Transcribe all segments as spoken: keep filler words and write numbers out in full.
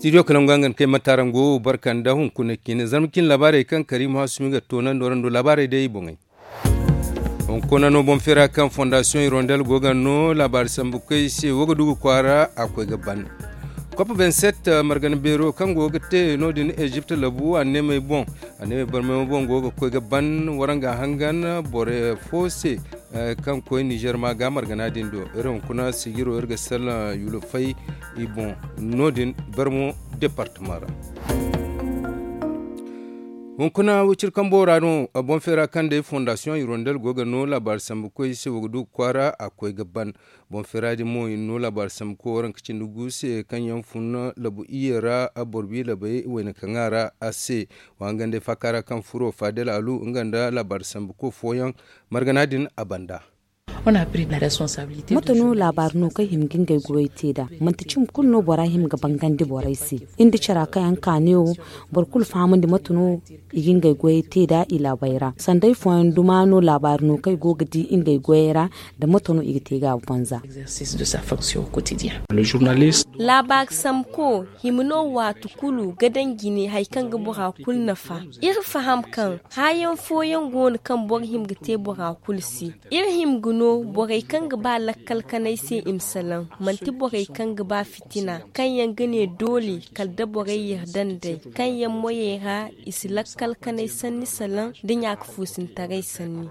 Studio kalangu hangan kay matarango barka nda hunkuna cine zarma cine laabaarey kaŋ kariima hasumi ga toonandi warando laabaarey day i boŋey. Hunkuna no boŋ feera kaŋ fondasiyoŋ hirondel go ga no laabaari sambu koy se wo ga du ga kwaara a koy ga ban. Kop vingt-sept margana beero kaŋ go ga te no- din ezipt labu a neemey boŋ a neemey barmey boŋ go ga koy ga ban waranga hangan boro fo se. Kaŋ koy nizer ma ga margana din do iri hunkuna sijiro iri ga salla yulufay i boŋ no- din barmo departama ra. Hunkuna wiciri kambo ra no boŋ feera kaŋ day fondasiyoŋ hirondel go ga no laabaari sambu koy se wo ga du kwaara a koy ga ban. Boŋ feera din mo i na no laabaari sambu koy waranka cindi gu se kaŋ yaŋ fun labu iyye ra boro bi labey wayna kaŋ a ra a se. Wa hangan day faaka ra kaŋ furo faadel alu nga nda laabaari sambu koy fooyaŋ margana din a banda. Mate no laabaari no kaŋ hima ga ngey goyey te nd'a? Manti cimi kulu no bora hima ga bangandi borey se. Iri nda cara kaŋ yaŋ ka ne wo, boro kulu fahamandi mate no i ga ngey goyey te nd'a i laabey ra. Sanday fooyaŋ duma no laabaari no kaŋ i go ga di ngey goyey ra, nda mate no i ga te ga a banza. Laabaari sambuko hima no waati kulu ga daŋ jine hari kaŋ ga bora kulu nafa. Iri faham kaŋ haayaŋ fooyaŋ go no kaŋ boro hima ga te bora kulu se. Iri hima ga no borey kaŋ ga ba lakkal kanay se i ma salaŋ, manti borey kaŋ ga ba fitina kaŋ yaŋ ga ne doole kala da borey yarda nd'ey, kaŋ yaŋ moyey ra i si lakkal kanay sanni salaŋ nda ɲaaka fuusintaray sanni.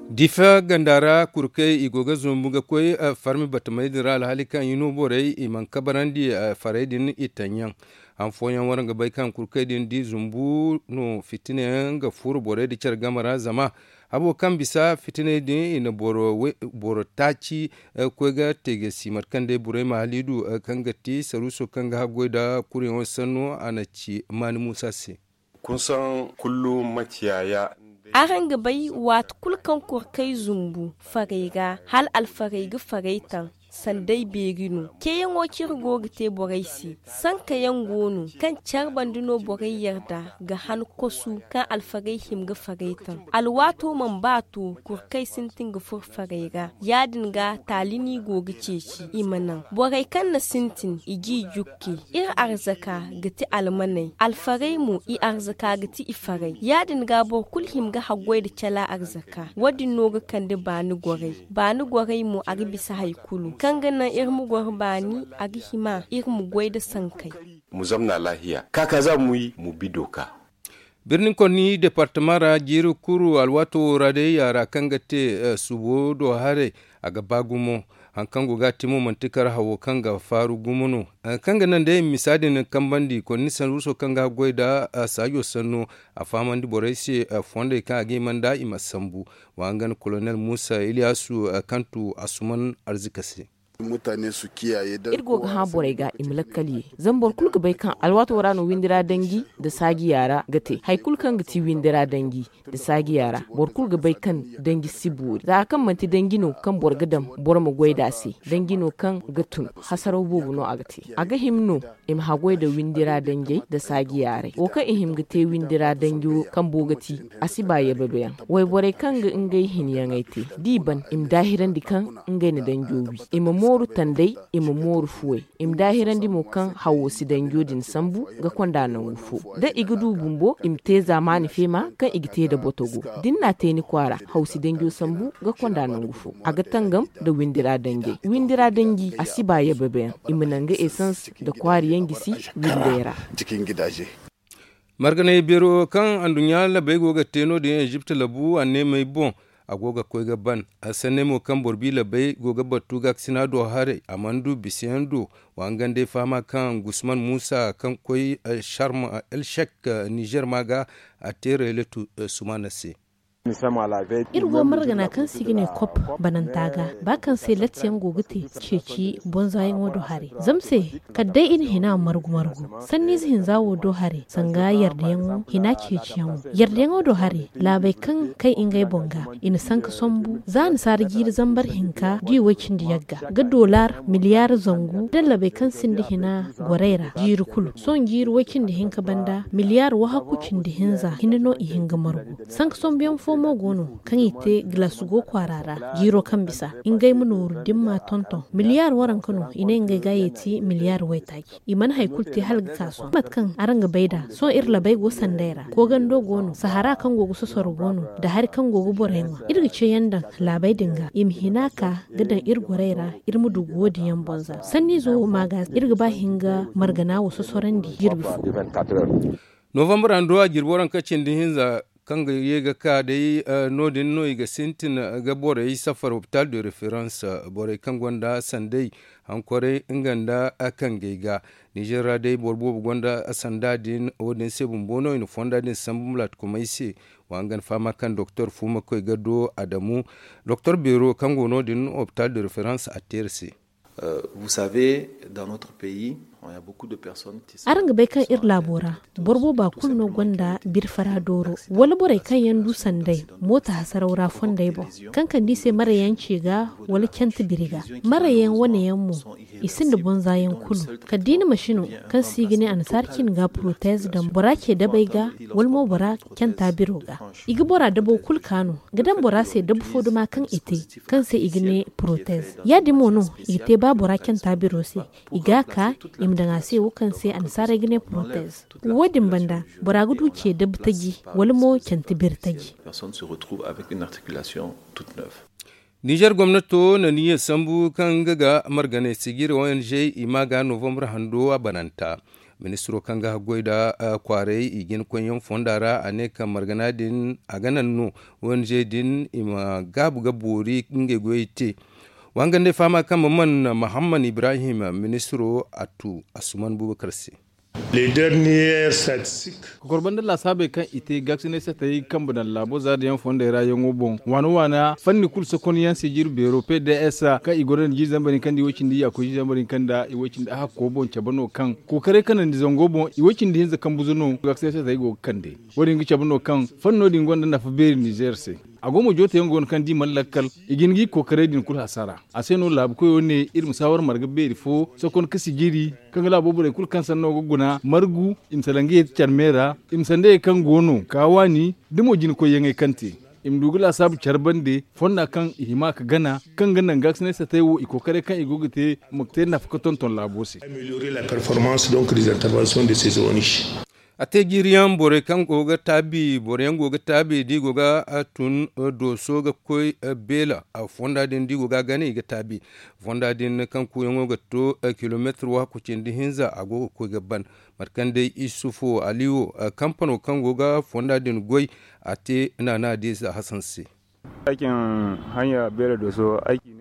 Difa ganda ra kurkey i go ga zumbu ga koy farmi batamey din ra alhaali kaŋ i no borey i mana kabarandi farey din i taŋ yaŋ. Han fooyaŋ waraŋ ga bay kaŋ kurkey din di zumbu no fitina yaŋ ga furo borey nda care game ra zama habo kaŋ bisa fitiney din i na boro taaci koy ga te ga si mate kaŋ day burayma haliidu kaŋ ga ti saruuso kaŋ ga haggoy nda kuryaŋo sanno a na ci maani muusa se. Araŋ ga bay waati kulu kaŋ kurkey zumbu farey ra hala alfarey ga farey taŋ. Sanday beeri no ceeyaŋo kaŋ iri go ga te borey se. Sanka yaŋ go no kaŋ care banda no borey yarda ga han kosu kaŋ alfarey hima ga farey taŋ. Alwaato mana ba to kurkey sintin ga furo farey ra. Ya- din ga taali no i go ga ceeci i ma naŋ borey kaŋ na sintin i g'i jukke. Iri arzaka ga ti almaney alfarey mo i arzaka ga ti i farey ya- din ga boro kulu hima ga haggoy nda cala arzaka. Wo- din no ga kande baani gorey baani gorey mo a ga bisa hari kulu kaŋ ga naŋ iri ma goro baani a ga hima iri ma goy nda sankey. Muzamna laahiya ka ka za ma wi ma bi dooka. Birnin konni departama ra jiiri kuru alwaato wo ra day yaara kaŋ ga te suubo do haray a ga ba gumo. Hari kaŋ go ga a te mo manti kar hawo kaŋ ga faaru gumo no. Hari kaŋ ga naŋ day misa din kambandi konni sanruuso kaŋ ga haggoy nda saajo sanno a fahamandi borey se fondey kaŋ a ga hima nda i ma sambu. Wa nga no kolonel muusa iliyasu kaŋ tu asuman arzika se. Iri go ga hã borey ga i ma lakkal ye. Zama boro kulu ga bay kaŋ alwaato ra no windi ra danji nda saaji yaara ga te hari kulu kaŋ ga ti windi ra danji nda saaji yaara boro kulu ga bay kaŋ danji si boori za hari kaŋ manti danji no kaŋ boro ga daŋ boro ma goy nd'a se. Danji no kaŋ ga tun hasaraw boobo no a ga te. A ga hima no i ma haggoy nda windi ra danjey nda saaji yaaray wo kaŋ i hima ga te windi ra danjo kambo ga ti. A si ba yababyaŋ wayborey kaŋ ga ngey hinyaŋey te d'i ban i ma daahirandi kaŋ ngey na danjo wi. I ma mooru tanday i ma mooru fuwey. I ma daahirandi mo kaŋ hawo si danjo din sambu ga konda nangu fo. Da i ga du bumbo i ma te zaamaani feema kaŋ i ga te nda botogo. Da ni n'a te ni kwaara haw si danjo sambu ga konda nangu fo. A ga tangam nda windi ra danjey windi ra danji a si ba yababyaŋ i ma naŋ ga esans nda kwaari yaŋ gisi windey ra. Marganay beero kaŋ anduɲɲa labey go ga te no- din ezipt labu anneemey boŋ. A go ga koy ga ban sanney mo kaŋ boro bi labey go ga battu gaakasina do haray a mana du bisayaŋ do. Wa nga nd'ay fahama kaŋ gusman muusa kaŋ koy sharm elshek nizer ma ga a te rayletu sumaana se. Iri go margana kaŋ se i ga ne kop bananta ga ba kaŋ se lattiyaŋ go ga te ceeci bonzayaŋo do haray zama se kala day i na hina margu margu sanniize hinza wo do haray sanga yardayaŋo hina ceeciyaŋo yardayaŋo do haray laabey kaŋ kay ngey boŋ ga i na sanka sambu za nasaara jiiri zambar hinka da i way cindi yagga ga dolar miliyaar zangu da labey kaŋ sinda hina gorey ra jiiri kulu sohõ jiiri way cindi hinka banda miliyaar wahakku cindi hinza hinne no i hin ga margu sanka sambuyaŋ fo. Mo go no kaŋ i te gilas go kwaara ra, jiiro kaŋ bisa ngey ma nooru dimma tonton miliyaar waranka no i ne ngey ga yeeti miliyaar waytaaci. I mana hari kulu te hala ga ka sohõ mate kaŋ araŋ ga bay nd'a sohõ iri labey go sanday ra koogando go no sahara kaŋ go ga sosoro go no, nda hari kaŋ go ga borey ŋwa iri ga ceeyaŋ daŋ laabey din ga i ma hina ka ga daŋ iri gorey ra. Iri ma du go din yaŋ bonza sanniizo wo ma ga iri ga ba hin ga margana wo sosorandi jirbi fo. Novambar hando a jirbi waranka cindi hinza kaŋ ga ye ga ka day no- din no i ga sintin ga borey safar hopital de reference borey kaŋ gonda sanday hankoray nga nda kangey ga. Nizer ra day boro boobo gonda sanda din wo- din se bumbo no i na fonda din sambu mulaatkumey se. Wa nga ni fahama kaŋ doktor fuuma koy ga do adamu doktor beero kaŋ go no- din hopital de reference a teeri se. Araŋ ga bay kaŋ iri laabo ra boro booba kulu no gonda birfara dooro wala borey kaŋ yaŋ du sanday mooto hasaraw ra fondey boŋ kaŋ kande i se marayaŋ ce ga wala cante biri ga. Marayaŋ wane yaŋ mo i sinda bonza yaŋ kulu kala da i na masino kaŋ se i ga ne annasaara cine ga porotez daŋ bora ce dabey ga wala mo bora canta biro ga. I ga bora dabo kulu ka no ga daŋ bora se dabu fo duma kaŋ i te kaŋ se i ga ne porotez. Ya- din mo no i ga te ba bora canta biro se i ga a ka i ma daŋ a se wo kaŋ se annasaarey ga ne porotez. Wo- din banda bora ga du ce dabu taji wala mo cante biri taji. Nizer gomnato na niyyar sambu kaŋ nga ga marganay sijiri ong i ma ga novambar hando a bananta. Ministiro kaŋ ga haggoy nda kwaaray i jina koyyaŋ fonda ra a ne kaŋ margana din a ga naŋ no ong din i ma gaabu ga boori ngey goyey te. Wa nga nd'ey fahama kaŋ ma man mahamman ibrahim ministiro a tu asuman bubakar se. Kokorba nda laasaabey kaŋ i te gaaksinay satey kambe daŋ laabo zaariyaŋ fondey ra yaŋo boŋ waana waana fanni kulu sokonyaŋ sijir beero pds kaŋ i gonda nda jiiri zambar hinka nda i way cindi yaakoy jiiri zambar hinka nda i way cindi ahakko boŋ cabe no kaŋ kookaray kanandi zango boŋ i way cindi hinza kambuzo no gaaksinay satey go ga kande. Wo- din ga cabe no kaŋ fanno din gonda nafa beeri nizer se. A go mo jooteyaŋ go no kaŋ da i mana lakkal i ga hin ga i kookaray din kulu hasara. A se no laabu koyo ne iri ma saawar marga beeri fo sokon ka sijiri kaŋ ga laabo borey kulu kaŋ sanno ga guna margu i ma salaŋ ga yeeti care me ra. I ma sandayey kaŋ go no ka waani da mo jina koyyaŋey kaŋ te i ma du ga laasaabu care bande fonda kaŋ i hima ka gana kaŋ ga naŋ gaaksinay satey wo i kookaray kaŋ i go ga te ma te nafa ka tonton laabo se. A te jiiriyaŋ borey kaŋ go ga taabi boro yaŋ go ga taabi da i go ga tun dooso ga koy beela fonda din da i go ga a gana i ga taabi. Fonda din kaŋ kuuyaŋo ga to kilomeetir waaku cindi hinza a go ga koy ga ban. Mate kaŋ day isufu ali wo kampano kaŋ go ga fonda din goy a te naana diiza hasan se.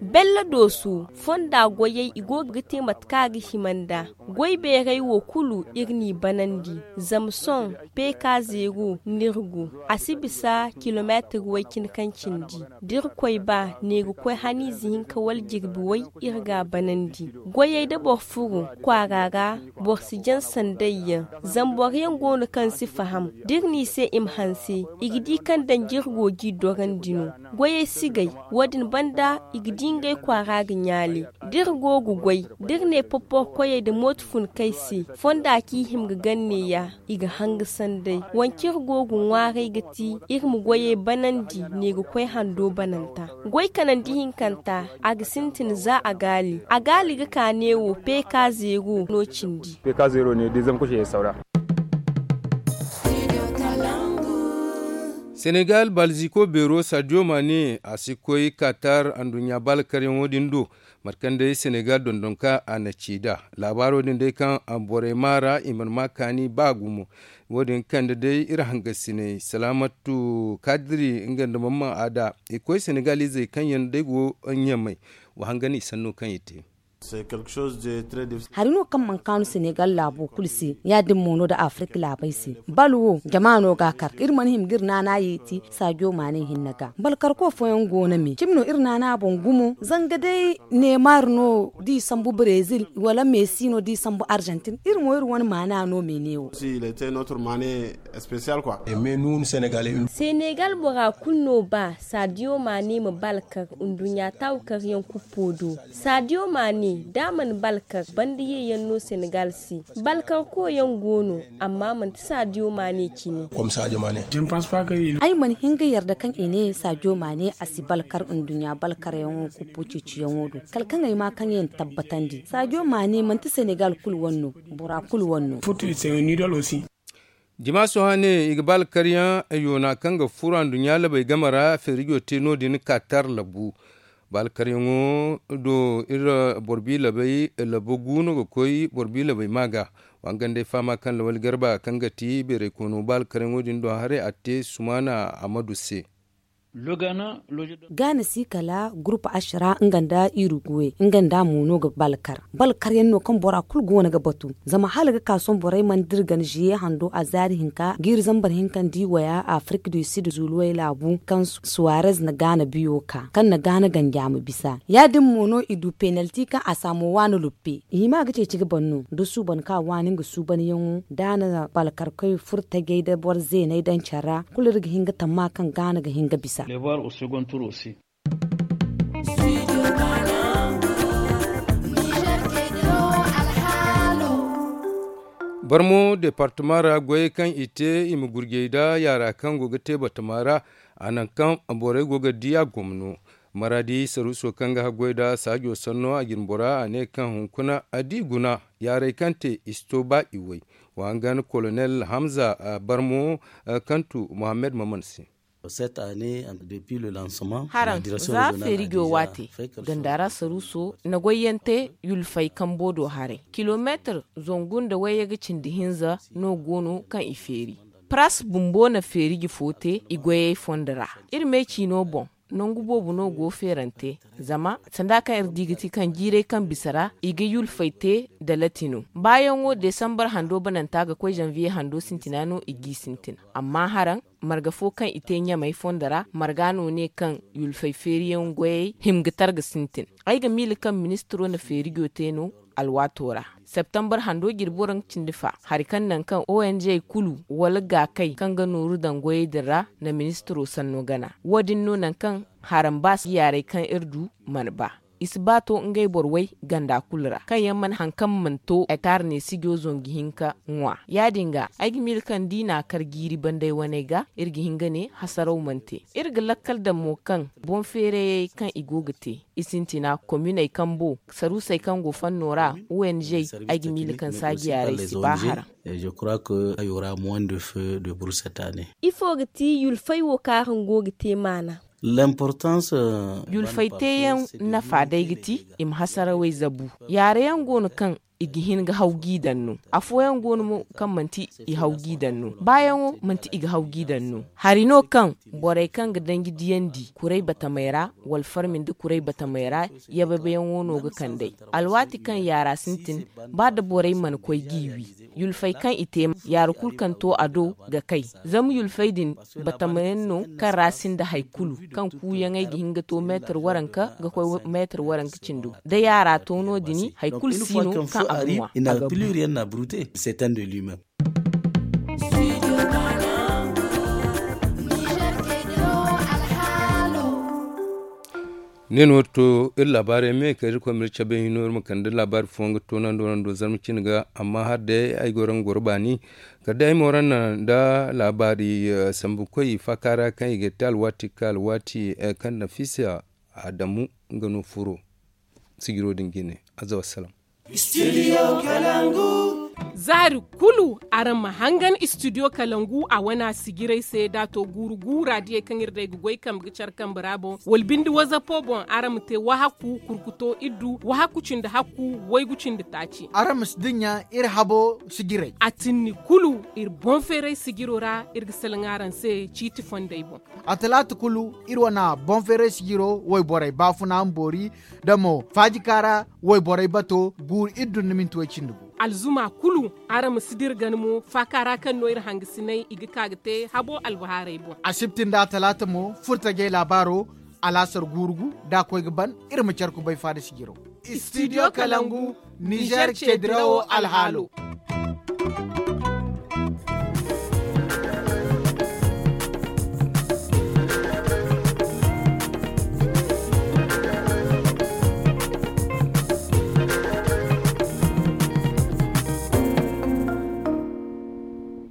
Bella dooso fonda goyey i go ga te mate kaŋ a ga hima nd'a. Goy beerey wo kulu iri n'i banandi. Zama sohõ peeka zeero no iri go a si bisa kilomeetir way cine kaŋ cindi da iri koy ba neegakoy haniize hinka wala jirbi way iri g'a banandi. Goyey da boro furo kwaara ra boro si jaŋ sanday yaŋ. Zama boro yaŋ go no kaŋ si faham da iri n'i se i ma hanse i ga di kaŋ danji iri go g'i dorandi no. Goyey si gay. Wo- din banda i ga di ngey kwaara ga ɲaale da iri go ga goy da iri ne poporkoyey nda mooto funkey se fonda kaŋ i hima ga gana neeya i ga hanga sanday. Wance iri go ga ŋwaaray ga ti iri ma goyey banandi neegakoy hando bananta. Goy kanandi hinkanta a ga sintin za a gaali a gaali ga ka neewo peeka zeero no cindi. Senegal balziko beero sadio mane a si koy katar anduɲɲa baalkaryaŋo din do. Mate kaŋ day senegal dondonka a na ci nd'a laabaaro din day kaŋ borey maa ra i mana maa kaani ba gumo. Wo- din kande day iri hangasiney salaamatu kadiri nga nda mamman aada i koy senegal izey kaŋ yaŋ day go ɲamay. Wa hangan i sanno kaŋ i te. Hari no kaŋ mana kaanu senegal laabo kulu se ya- din mo no nda afirka laabey se. Bal wo jama no ga a kar iri mana hima ga iri naana yeeti sadio mane hinne ga bal karko fooyaŋ go no me cimi no iri naana boŋ gumo zanga day neymar no da i sambu brezil wala messi no da i sambu argentine iri mo iri wane maana no me ne wo. Senegal bora kulu no ba sadio mane ma bal kar nduɲɲa taawu karyaŋ kuppo do. Sadio mane Da a mana balkar banda ye yaŋ no senegal se. Balkar koyaŋ go no, amma manti saadiyo maane cine. Ay mana hin ga yarda kaŋ i ne saadiyo maane a si balkar nduɲɲa balkaryaŋo kuppu ceeciyaŋo do. Kala kaŋ ay ma kaŋ yaŋ tabbatandi saadiyo maane manti senegal kulu wane no. Bora kulu wane no. Jimaaso hane i ga ba alkaryaŋ yoona kaŋ ga furo anduɲɲa labey game ra feerijo te no- din katar labu. Ba alkaryaŋo do iri boro bi labey labu gu no ga koy boro bi labey ma ga. Wa nga nd'ay fahama kaŋ lawali garba kaŋ ga ti beeray koono ba alkaryaŋo din do haray a te sumaana amadu se. Gaana si kala gurupu ashira nga nda iruguwe nga nda mo no ga balkar. Balkar yaŋ no kaŋ bora kulu go no ga batu. Zama hala ga ka sohõ borey mana dira gana ziye hando a zaari hinka ga iri zambar hinka nda i waya afirik du sid zuuluwey laabu kaŋ suwarez na gaana biyo ka kaŋ na gaana ganja ma bisa. Ya- din mo no i du penalti kaŋ a saamo waani luppe. I hima ga ceeci ga ban no da suuban ka waani nga suubanyaŋo da a na balkarkoy furo tajey nda boro zeeney daŋ care ra. Kulu iri ga hin ga tamma kaŋ gaana ga hin ga bisa. Barmo departema ra goyey kaŋ i te i ma gurjey nda yaara kaŋ go ga te batama ra. A nangu kaŋ borey go ga di a gomno. Maradi saruuso kaŋ ga haggoy nda saajo sanno a jinbora a ne kaŋ hunkuna a di guna yaarey kaŋ te i si to ba i way. Wa hangan kolonel hamza barmo kaŋ tu mohammed maman se. Haraŋ za feerijo waate ganda ra saruuso na goyyaŋ te yulfay kambo do haray kilomeetir zangu nda wayye ga cindi hinza no go no kaŋ i feeri. Paras bumbo na feeriji fo te i goyey fondo ra. Iri me ciino boŋ nangu boobo no go feerante. Zama sanda kaŋ iri di ga ti kaŋ jiiray kaŋ bisa ra i ga yulfay te da lati no baayaŋo desambar hando bananta ga koy zanviye hando sintina no i g'i sintin. Amma haraŋ marga fo kaŋ i te ɲamey fondo ra marga no ne kaŋ yulfay feeriyaŋ goyey hima ga targa sintin. Ay ga miila kaŋ ministiro na feerijo te no alwaato ra. Septambar hando jirbi waranka cindi fa hari kaŋ naŋ kaŋ ong kulu wala gaakay kaŋ ga nooru daŋ goyey din ra na ministiro sanno gana. Wo- din no naŋ kaŋ harambaas yaaray kaŋ iri du mana ba. I si ba to ngey boro way ganda kulu ra kaŋ yaŋ mana hari kaŋ mana to ektar ne sijo zangu hinka ŋwa. Ya- din ga ay ga miila kaŋ da i n'a kar jiiri banday waney ga iri ga hin ga ne hasaraw mana te. Iri ga lakkal daŋ mo kaŋ boŋ feerayey kaŋ i go ga te i sintina kominey kambo saruusey kaŋ go fanno ra ong ay ga miila kaŋ saaji yaaray si ba haraŋ. Ifo ga ti yulfay wo kaŋ araŋ go ga te maana? Yulfay teeyaŋ nafa day ga ti i ma hasarawey zabu. Yaarayaŋ go no kaŋ i ga hin ga haw g'i daŋ no. Afooyaŋ go no mo kaŋ manti i haw g'i daŋ no baayaŋo manti i ga haw g'i daŋ no. Hari no kaŋ borey kaŋ ga danji diyandi kuray batamey ra wala farmi nda kuray batamey ra yabayaŋo no ga kand'ey. Alwaati kaŋ yaara sintin ba da borey mana koy g'i wi. Yulfey kaŋ i te yaara kulu kaŋ to a do ga kay. Zama yulfey din batamayaŋ no kaŋ ra sinda hari kulu kaŋ kuuyaŋey ga hin ga to meetar waranka ga koy meetar waranka cindo da yaara to no- din hari kulu si no kaŋ a ga ŋwa. Ne no to iri laabaarey me kala irkoy ma iri cabe hino iri ma kande laabaari fooyaŋ ga toonandi warando zarma cine ga amma hala day ay go ra ga goro baani. Kala day ay mo ra naŋ nda laabaari sambukoy faaka ra kaŋ i ga te alwaati ga ka alwaati kaŋ nafisa adamu nga no furo sijiro din jine. Aza wassalam. Zaari kulu araŋ ma hangan istidiyo kalangu a wana sijiray se da a to guuru guura diyey kaŋ iri day ga goy kambe ga care kambe ra boŋ wala binde wazapo boŋ araŋ ma te wahakku kurkuto iddu wahakku cindi hakku waygu cindi taaci. Araŋ ma si dinya iri habo sijiray a tinni kulu. Iri boŋ feeray sijiro ra iri ga salaŋ araŋ se ciiti fondey boŋ. A talaata kulu iri wana boŋ feeray sijiro wayborey baafuna ma boori da mo faajika ra wayborey bato guuru iri dun na minti way cindi gu. Alzuma kulu araŋ ma si dira gana mo faaka ra kaŋ no iri hangasinay i ga ka ga te habo albahaarey boŋ. Asibti nda a talaata mo furtajey laabaaro alaasar guuru gu da a koy ga ban. Iri ma care kubay faada sijiro. Istidiyo kalangu nizer ceedirawo alhaalo.